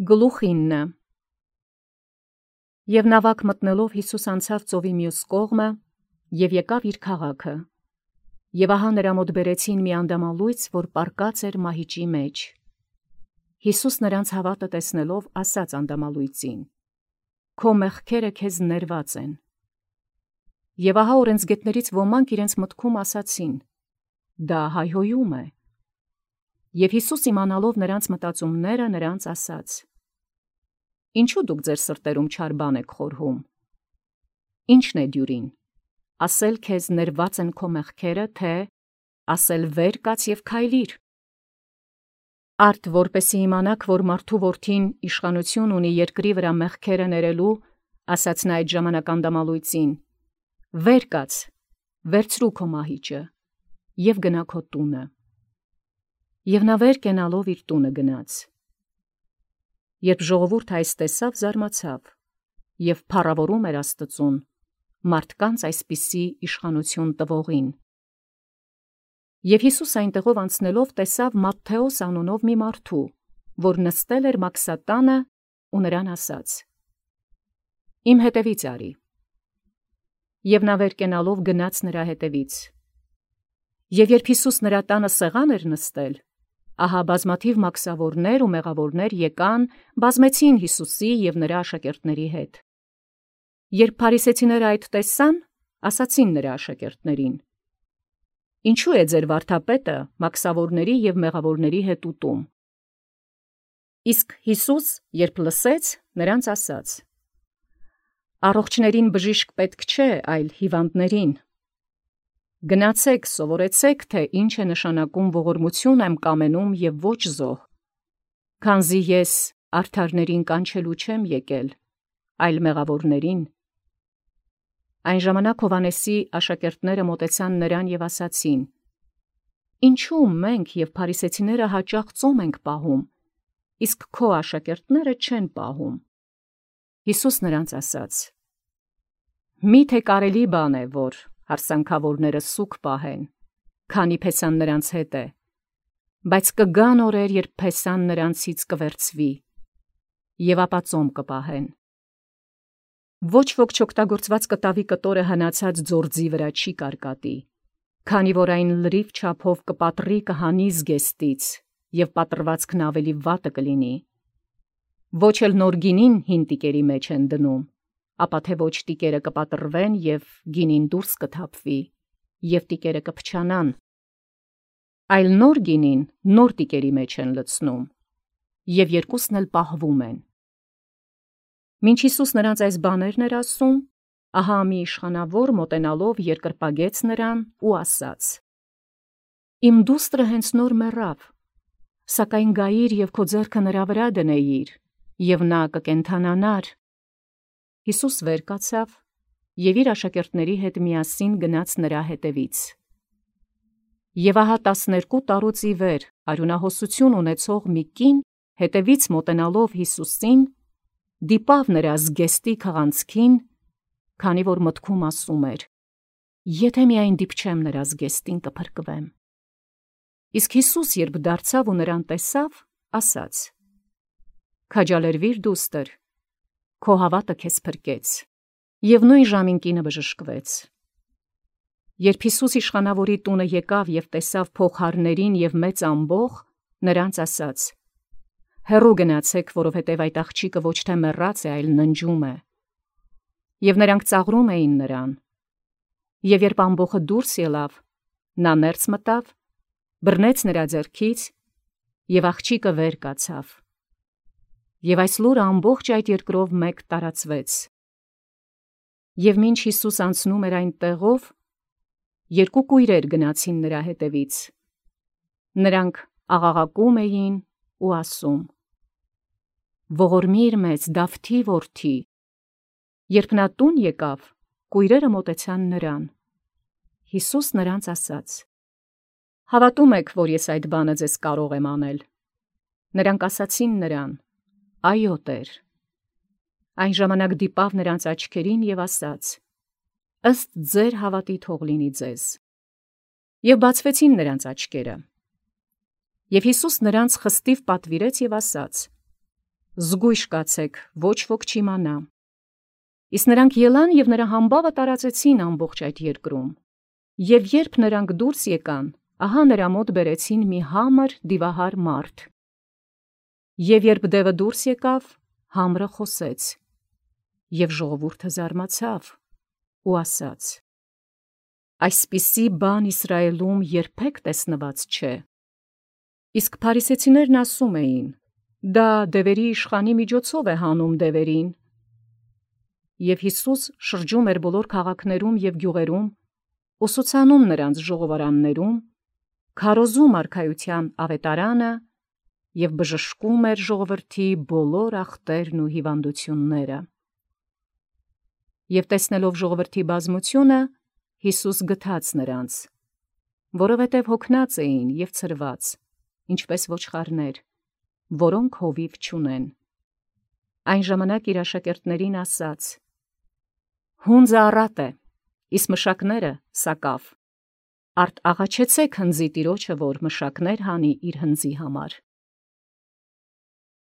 Գլուխինը Եւ նավակ մտնելով Յիսուս անցավ ծովի մյուս կողմը եւ եկավ իր քաղաքը. եւ ահա նրա մոտ բերեցին մի անդամալույծ, որ պառկած էր մահիճի մեջ. Յիսուս նրանց հավատը տեսնելով ասաց անդամալույծին. «Քո մեղքերը քեզ ներված են»։ Եւ ահա օրենսգետներից ոմանք իրենց մտքում ասացին. «Դա հայհոյում է»։ Եւ Յիսուս իմանալով նրանց մտածումները նրանց ասաց. «Ինչու դուք ձեր սրտերում չար բան եք խորհում. ի՞նչն է դյուրին, ասել քեզ ներված են քո մեղքերը, թե ասել վեր կաց եւ քայլիր»։ Արդ որպեսի իմանաք, որ մարդու որդին իշխանություն ունի երկրի վրա մեղքերը ներելու, ասաց նա այդ ժամանակ անդամալույծին. «Վեր կաց, վերցրու քո մահիճը եւ գնա քո տունը»։ Եւ նա վեր կենալով իր տունը գնաց։ Երբ ժողովուրդը այս տեսավ, զարմացավ եւ փառավորում էր Աստծուն մարդկանց այսպիսի իշխանություն տվողին։ Եվ Յիսուս այնտեղով անցնելով տեսավ Մատթեոս անունով մի մարդու, որ նստել էր մաքսատանը ու նրան ասաց. «Իմ հետևից արի»։ Եվ նա վեր կենալով գնաց նրա հետևից։ Եվ երբ Յիսուս նրա տանը սեղան էր նստել, ահա բազմաթիվ մաքսավորներ ու մեղավորներ եկան, բազմեցին Յիսուսի և նրա աշակերտների հետ։ Երբ փարիսեցիները այդ տեսան, ասացին նրա աշակերտներին. «Ինչու է ձեր վարդապետը մաքսավորների և մեղավորների հետ ուտում»։ Իսկ Յիսուս, երբ լսեց, նրանց ասաց. «Առողջներին բժիշկ պետք չէ, այլ հիվանդներին։ Գնացեք, սովորեցեք, թե ինչ է նշանակում ողորմություն եմ կամենում և ոչ զոհ, քանզի ես արդարներին կանչելու չեմ եկել, այլ մեղավորներին»։ Այն ժամանակ Հովհաննեսի աշակերտները մոտեցան նրան և ասացին. «Ինչու մենք և փարիսեցիները հաճախ ծոմ ենք պահում, իսկ քո աշակերտները չեն պահում»։ Յիսուս նրանց ասաց. «Մի՞թե կարելի բան է, որ հարսանքավորները սուգ պահեն, քանի փեսան նրանց հետ է, բայց կգան օրեր, երբ փեսան նրանցից կվերցվի, և ապա ծոմ կպահեն։ Ոչ ոք չօգտագործված կտավի կտորը հնացած ձորձի վրա չի կարկատի, քանի որ այն լրիվ չափով կպատրի կհանի զգեստից, և պատրվածքն ավելի վատը կլինի։ Ոչ էլ նոր գինին հին տիկերի մեջ են դնում, ապա թե ոչ տիկերը կպատրվեն, և գինին դուրս կթափվի, և տիկերը կփչանան։ Այլ նոր գինին նոր տիկերի մեջ են լցնում, և երկուսն էլ պահվում են»։ Մինչ Յիսուս նրանց այս բաներն էր ասում, ահա մի իշխանավոր մոտենալով երկրպագեց նրան ու ասաց. «Իմ դուստրը հենց նոր մեռավ, սակայն գայիր և քո ձեռքը նրա վրա դնեիր, և նա կկենդանանար»։ Յիսուս վեր կացավ և իր աշակերտների հետ միասին գնաց նրա հետևից։ Եվ ահա 12 տարուց ի վեր արյունահոսություն ունեցող մի կին հետևից մոտենալով Յիսուսին, դիպավ նրա զգեստի քղանցքին, քանի որ մտքում ասում էր. «Եթե միայն դիպչեմ նրա զգեստին, կփրկվեմ»։ Իսկ Յիսուս, երբ դարձավ ու նրան տեսավ, ասաց. «Քաջալերվիր դուստր, քո հավատը քեզ փրկեց»։ Եվ նույն ժամին կինը բժշկվեց։ Երբ Յիսուս իշխանավորի տունը եկավ և տեսավ փողհարներին և մեծ ամբոխ, նրանց ասաց. «Հեռու գնացեք, որովհետև այդ աղջիկը ոչ թե մեռած է, այլ ննջում է»։ Եվ նրանք ծաղրում էին նրան։ Եվ երբ ամբոխը դուրս ելավ, նա ներս մտավ, բռնեց նրա ձեռքից, և աղջիկը վեր կացավ։ Եվ այս լուրը ամբողջ այդ երկրով մեկ տարածվեց։ Եվ մինչ Յիսուս անցնում էր այն տեղով, երկու կույրեր գնացին նրա հետևից։ Նրանք աղաղակում էին ու ասում. «Ողորմի՛ր մեզ, Դավթի որդի»։ Երբ նա տուն եկավ, կույրերը մոտեցան նրան։ Յիսուս նրանց ասաց. «Հավատում եք, որ ես այդ բանը ձեզ կարող եմ անել»։ Նրանք ասացին նրան. «Այո, Տեր»։ Այն ժամանակ դիպավ նրանց աչքերին և ասաց. «Ըստ ձեր հավատի թող լինի ձեզ»։ Եվ բացվեցին նրանց աչքերը։ Եվ Յիսուս նրանց խստիվ պատվիրեց և ասաց. զգույշ կացեք, ոչ ոք չիմանա։ Իսկ նրանք ելան և նրա համբավը տարածեցին ամբողջ այդ երկրում։ Եվ երբ նրանք դուրս եկան, ահա նրա մոտ բերեցին մի համր դիվահար մարդ։ Եվ երբ դևը դուրս եկավ, համրը խոսեց, և ժողովուրդը զարմացավ ու ասաց. «Այսպիսի բան Իսրայելում երբեք տեսնված չէ»։ Իսկ փարիսեցիներն ասում էին. «Դա դևերի իշխանի միջոցով է հանում դևերին»։ Եվ Յիսուս շրջում էր բոլոր քաղաքներում և գյուղերում, ուսուցանում նրանց ժողովարաններում, քարոզում արքայության ավետարանը և բժշկում էր ժողովրդի բոլոր ախտերն ու հիվանդությունները։ Եվ տեսնելով ժողովրդի բազմությունը, Յիսուս գթաց նրանց, որովհետև հոգնած էին և ցրված, ինչպես ոչխարներ, որոնք հովիվ չունեն։ Այն ժամանակ իր աշակերտներին ասաց. «Հունձը առատ է, իսկ մշակները սակավ. արդ աղաչեցեք հնձի տիրոջը, որ մշակներ հանի իր հնձի համար»։